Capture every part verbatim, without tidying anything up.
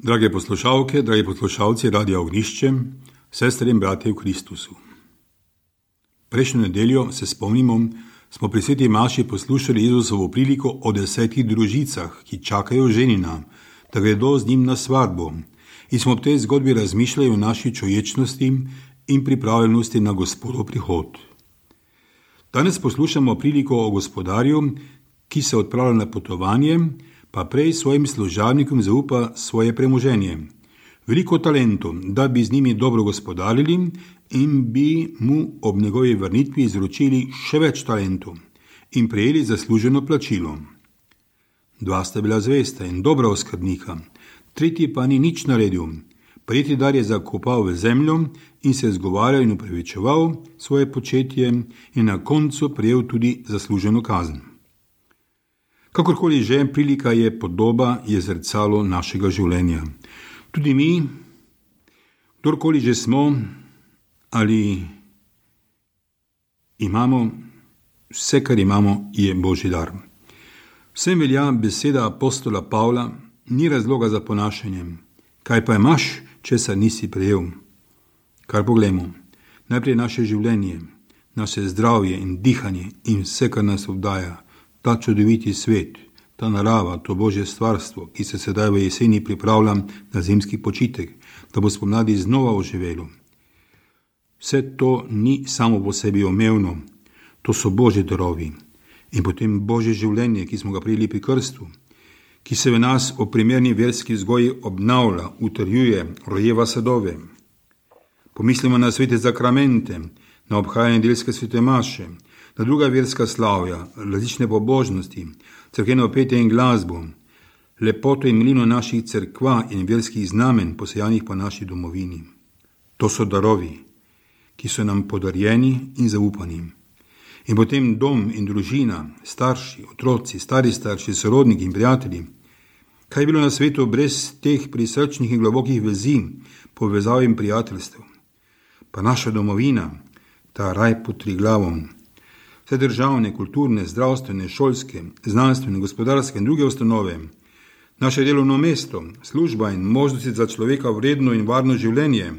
Drage poslušalke, dragi poslušalci Radia Ognišče, sestre in bratje v Kristusu. Prejšnjo nedeljo, se spomnimo, smo pri sveti maši poslušali Jezusovo priliko o desetih družicah, ki čakajo ženina, da gredo z njim na svadbo, in smo v tej zgodbi razmišljali o naši čuječnosti in pripravljenosti na Gospodov prihod. Danes poslušamo priliko o gospodarju, ki se odpravlja na potovanje, pa prej svojim služabnikom zaupa svoje premoženje. Veliko talentov, da bi z njimi dobro gospodarili in bi mu ob njegovi vrnitvi izročili še več talentov in prejeli zasluženo plačilo. Dva sta bila zvesta in dobra oskrbnika, tretji pa ni nič naredil. Prejeti dar je zakopal v zemljo in se zgovarjal in upravičeval svoje početje in na koncu prejel tudi zasluženo kazen. Kakorkoli že, prilika je podoba, je zrcalo našega življenja. Tudi mi, kdorkoli že smo ali imamo, vse, kar imamo, je Božji dar. Vsem velja beseda apostola Pavla, ni razloga za ponašanje. Kaj pa imaš, česar nisi prejel? Kar poglejmo, najprej naše življenje, naše zdravje in dihanje in vse, kar nas obdaja, ta čudoviti svet, ta narava, to Božje stvarstvo, ki se sedaj v jeseni pripravlja na zimski počitek, da bo spomladi znova oživelo. Vse to ni samo po sebi omevno, to so Božji darovi in potem Božje življenje, ki smo ga prejeli pri krstu, ki se v nas o primerni verski vzgoji obnavlja, utrjuje, rojeva sadove. Pomislimo na svete zakramente, na obhajanje nedeljske svete maše, na druga verska slavja, različne pobožnosti, cerkveno petje in glasbo, lepoto in milino naših cerkva in verskih znamen, posejanih po naši domovini. To so darovi, ki so nam podarjeni in zaupani. In potem dom in družina, starši, otroci, stari starši, sorodniki in prijatelji. Kaj je bilo na svetu brez teh prisrčnih in globokih vezi, povezav in prijateljstev? Pa naša domovina, ta raj pod Triglavom, vse državne, kulturne, zdravstvene, šolske, znanstvene, gospodarske in druge ustanove, naše delovno mesto, služba in možnosti za človeka vredno in varno življenje.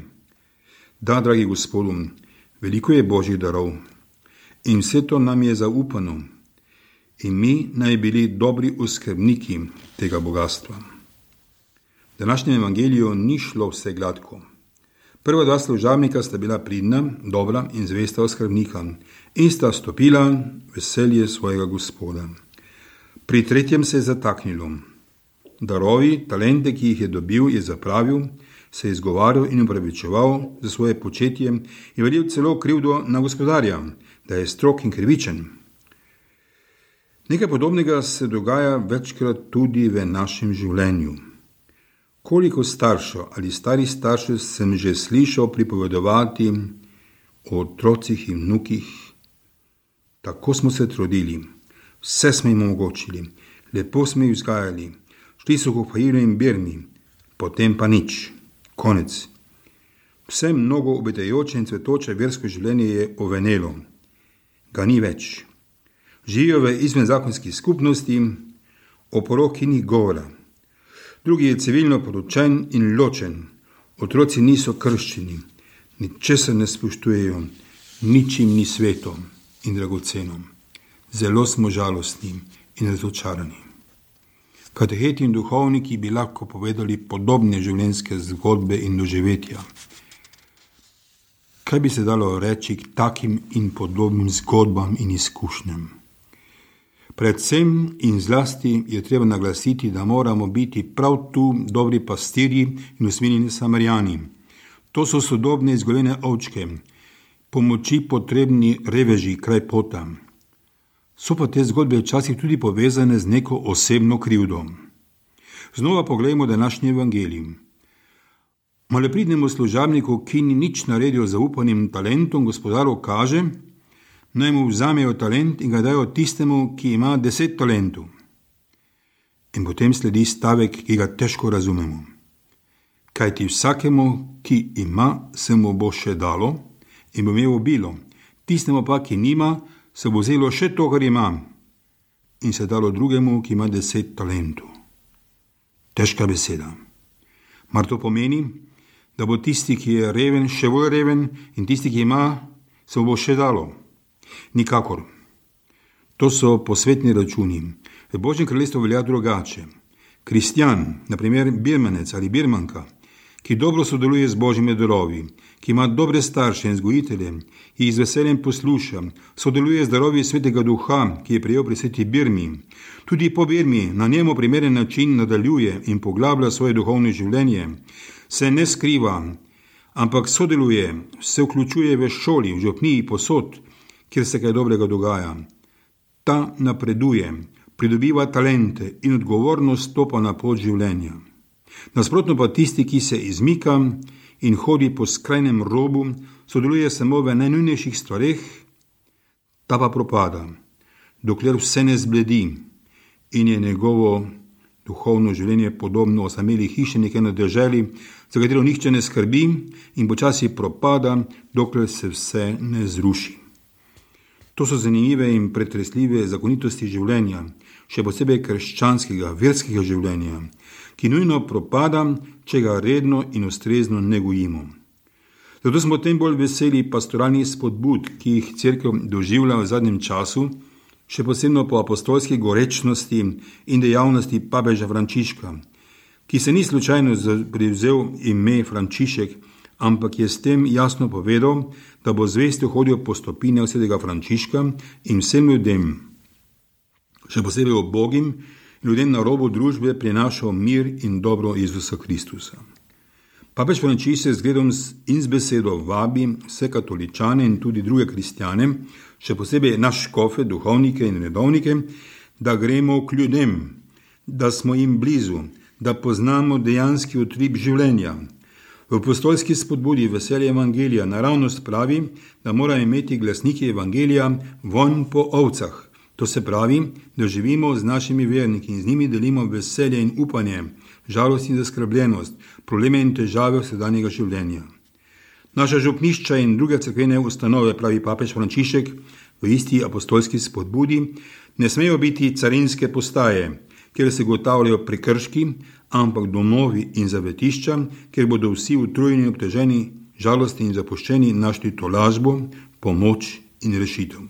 Da, dragi Gospodu, veliko je Božjih darov in vse to nam je zaupano in mi naj bili dobri oskrbniki tega bogatstva. V današnjem evangeliju ni šlo vse gladko. Prva dva služabnika sta bila pridna, dobra in zvesta oskrbnika in sta stopila veselje svojega Gospoda. Pri tretjem se je zataknilo. Darovi, talente, ki jih je dobil, je zapravil, se je izgovarjal in upravičeval za svoje početje in verjel celo krivdo na gospodarja, da je strog in krivičen. Nekaj podobnega se dogaja večkrat tudi v našem življenju. Koliko staršev ali starih staršev sem že slišal pripovedovati o otrocih in vnukih. Tako smo se trudili, vse smo jim omogočili, lepo smo jih vzgajali, šli so v Fajilu in Birmi, potem pa nič, konec. Vse mnogo obetajoče in cvetoče versko življenje je ovenelo, ga ni več. Živijo v izvenzakonski skupnosti, o poroki ni govora. Drugi je civilno poročen in ločen, otroci niso krščeni, ničesar ne spoštujejo, ničim ni sveto in dragoceno. Zelo smo žalostni in razočarani. Kateheti in duhovniki bi lahko povedali podobne življenjske zgodbe in doživetja. Kaj bi se dalo reči k takim in podobnim zgodbam in izkušnjam? Predvsem in zlasti je treba naglasiti, da moramo biti prav tu dobri pastirji in usmiljeni Samarijani. To so sodobne izgoljene ovčke, pomoči potrebni reveži kraj pota. So pa te zgodbe včasih tudi povezane z neko osebno krivdo. Znova poglejmo današnji evangelij. Malopridnemu služabniku, ki ni nič naredil z zaupanim talentom, gospodaru kaže, naj mu vzamejo talent in ga dajo tistemu, ki ima deset talentov. In potem sledi stavek, ki ga težko razumemo. Kajti vsakemu, ki ima, se mu bo še dalo in bo imel obilo, tistemu pa, ki nima, se bo vzelo še to, kar ima, in se dalo drugemu, ki ima deset talentov. Težka beseda. Mar to pomeni, da bo tisti, ki je reven, še bolj reven in tisti, ki ima, se bo še dalo? Nikakor. To so posvetni računi. V Božjem kraljestvu velja drugače. Kristjan, na primer birmanec ali birmanka, ki dobro sodeluje z Božjimi darovi, ki ima dobre starše in vzgojitelje, ki jih z veseljem posluša, sodeluje z darovi Svetega Duha, ki je prejel pri sveti Birmi, tudi po Birmi na njemu primeren način nadaljuje in poglablja svoje duhovno življenje, se ne skriva, ampak sodeluje, se vključuje v šoli, v župniji, posod, kjer se kaj dobrega dogaja. Ta napreduje, pridobiva talente in odgovornost stopa na pot življenja. Nasprotno pa tisti, ki se izmika in hodi po skrajnem robu, sodeluje samo v najnujnejših stvareh, ta pa propada, dokler vse ne zbledi in je njegovo duhovno življenje podobno osameli hiši nekaj na deželi, za katero nihče ne skrbi in počasi propada, dokler se vse ne zruši. To so zanimive in pretresljive zakonitosti življenja, še posebej krščanskega, verskega življenja, ki nujno propada, če ga redno in ustrezno negojimo. Zato smo tem bolj veseli pastoralnih spodbud, ki jih cerkev doživlja v zadnjem času, še posebno po apostolski gorečnosti in dejavnosti papeža Frančiška, ki se ni slučajno privzel ime Frančišek, ampak je s tem jasno povedal, da bo zvesto hodil po stopinjah svetega Frančiška in vsem ljudem, še posebej ubogim, ljudem na robu družbe prinašal mir in dobro Jezusa Kristusa. Papež Frančišek z zgledom in z besedo vabi vse katoličane in tudi druge kristjane, še posebej naš škofe, duhovnike in redovnike, da gremo k ljudem, da smo jim blizu, da poznamo dejanski utrip življenja. V apostolski spodbudi veselje evangelija naravnost pravi, da morajo imeti glasniki evangelija vonj po ovcah. To se pravi, da živimo z našimi verniki in z njimi delimo veselje in upanje, žalost in zaskrbljenost, probleme in težave vsakdanjega življenja. Naša župnišča in druge cerkvene ustanove, pravi papež Frančišek v isti apostolski spodbudi, ne smejo biti carinske postaje, kjer se ugotavljajo prekrški, ampak domovi in zavetišča, kjer bodo vsi utrujeni, obteženi, žalostni in zapuščeni našli tolažbo, pomoč in rešitev.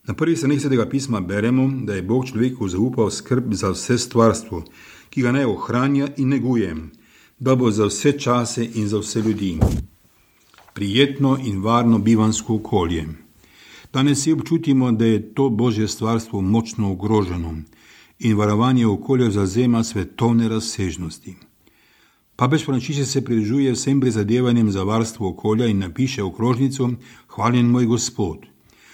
Na prvih straneh Svetega pisma beremo, da je Bog človeku zaupal skrb za vse stvarstvo, ki ga naj ohranja in neguje, da bo za vse čase in za vse ljudi prijetno in varno bivansko okolje. Danes si občutimo, da je to Božje stvarstvo močno ogroženo in varovanje okolja zavzema svetovne razsežnosti. Papež Frančišek se pridružuje vsem prizadevanjem za varstvo okolja in napiše okrožnico Hvaljen moj Gospod,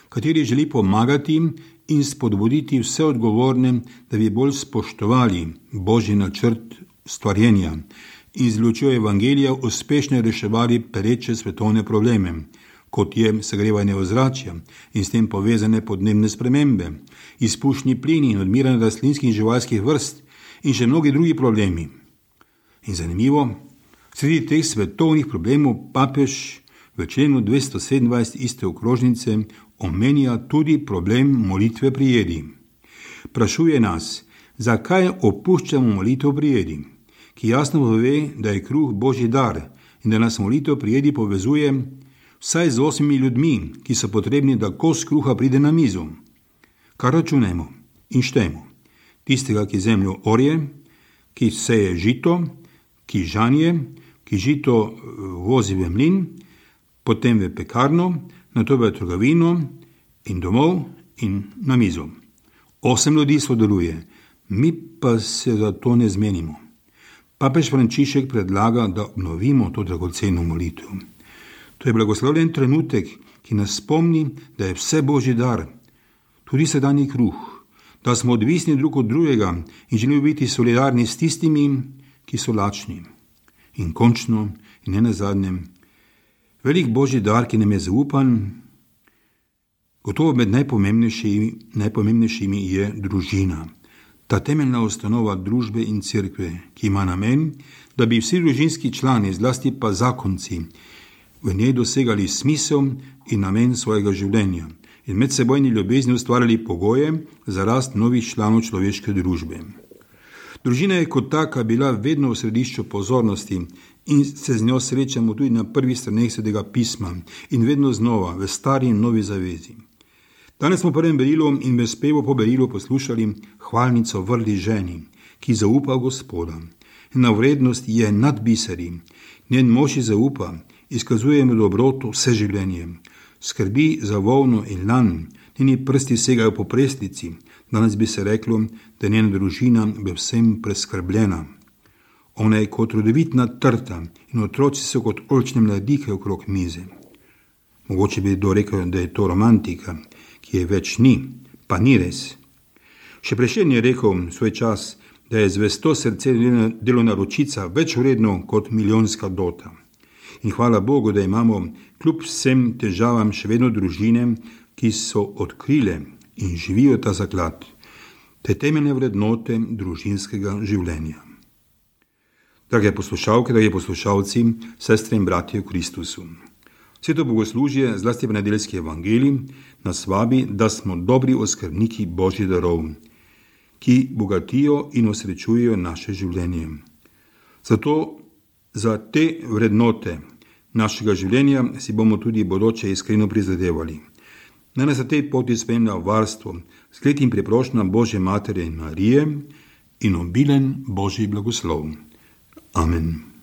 kateri želi pomagati in spodbuditi vse odgovorne, da bi bolj spoštovali Božji načrt stvarjenja in z lučjo evangelija uspešno reševali pereče svetovne probleme, kot je segrevanje ozračja in s tem povezane podnebne spremembe, izpušni plini in odmiranje rastlinskih in živalskih vrst in še mnogi drugi problemi. In zanimivo, sredi teh svetovnih problemov papež v členu dvesto sedemindvajset iste okrožnice omenja tudi problem molitve pri jedi. Prašuje nas, zakaj opuščamo molitev pri jedi, ki jasno pove, da je kruh Božji dar in da nas molitev pri jedi povezuje vsaj z osmimi ljudmi, ki so potrebni, da kos kruha pride na mizo. Kar računajmo in štejmo. Tistega, ki zemljo orje, ki seje žito, ki žanje, ki žito vozi v mlin, potem v pekarno, nato v trgovino in domov in na mizo. Osem ljudi sodeluje, mi pa se za to ne zmenimo. Papež Frančišek predlaga, da obnovimo to dragoceno molitev. To je blagoslovljen trenutek, ki nas spomni, da je vse Božji dar, tudi sedanji kruh, da smo odvisni drug od drugega in želimo biti solidarni s tistimi, ki so lačni. In končno, in ne nazadnje, velik Božji dar, ki nam je zaupan, gotovo med najpomembnejšimi, najpomembnejšimi je družina. Ta temeljna ustanova družbe in cerkve, ki ima namen, da bi vsi družinski člani, zlasti pa zakonci, v njej dosegali smisel in namen svojega življenja in medsebojni ljubezni ustvarjali pogoje za rast novih članov človeške družbe. Družina je kot taka bila vedno v središču pozornosti in se z njo srečamo tudi na prvih straneh Svetega pisma in vedno znova v stari in novi zavezi. Danes smo v prvem berilu in v spevu po berilu poslušali hvalnico vrli ženi, ki zaupa v Gospoda. Njena vrednost je nad biseri, njen mož ji zaupa, izkazuje mu dobroto vse življenje. Skrbi za volno in lan, njeni prsti segajo po prestlici, danes bi se reklo, da je njena družina v vsem preskrbljena. Ona je kot rodovitna trta in otroci so kot oljčne mladike okrog mize. Mogoče bi kdo rekel, da je to romantika, ki je več ni, pa ni res. Še Prešern je rekel svoj čas, da je zvesto srce delovna ročica več vredno kot milijonska dota. In hvala Bogu, da imamo kljub vsem težavam še vedno družine, ki so odkrile in živijo ta zaklad, te temeljne vrednote družinskega življenja. Drage poslušalke, dragi poslušalci, sestre in bratje v Kristusu. Sveto bogoslužje, zlasti v nedeljski evangeliji, nas vabi, da smo dobri oskrbniki Božjih darov, ki bogatijo in osrečujejo naše življenje. Zato za te vrednote našega življenja si bomo tudi bodoče iskreno prizadevali. Naj nas na tej poti spremlja varstvo, skled in priprošnja Božje Matere in Marije in obilen Božji blagoslov. Amen.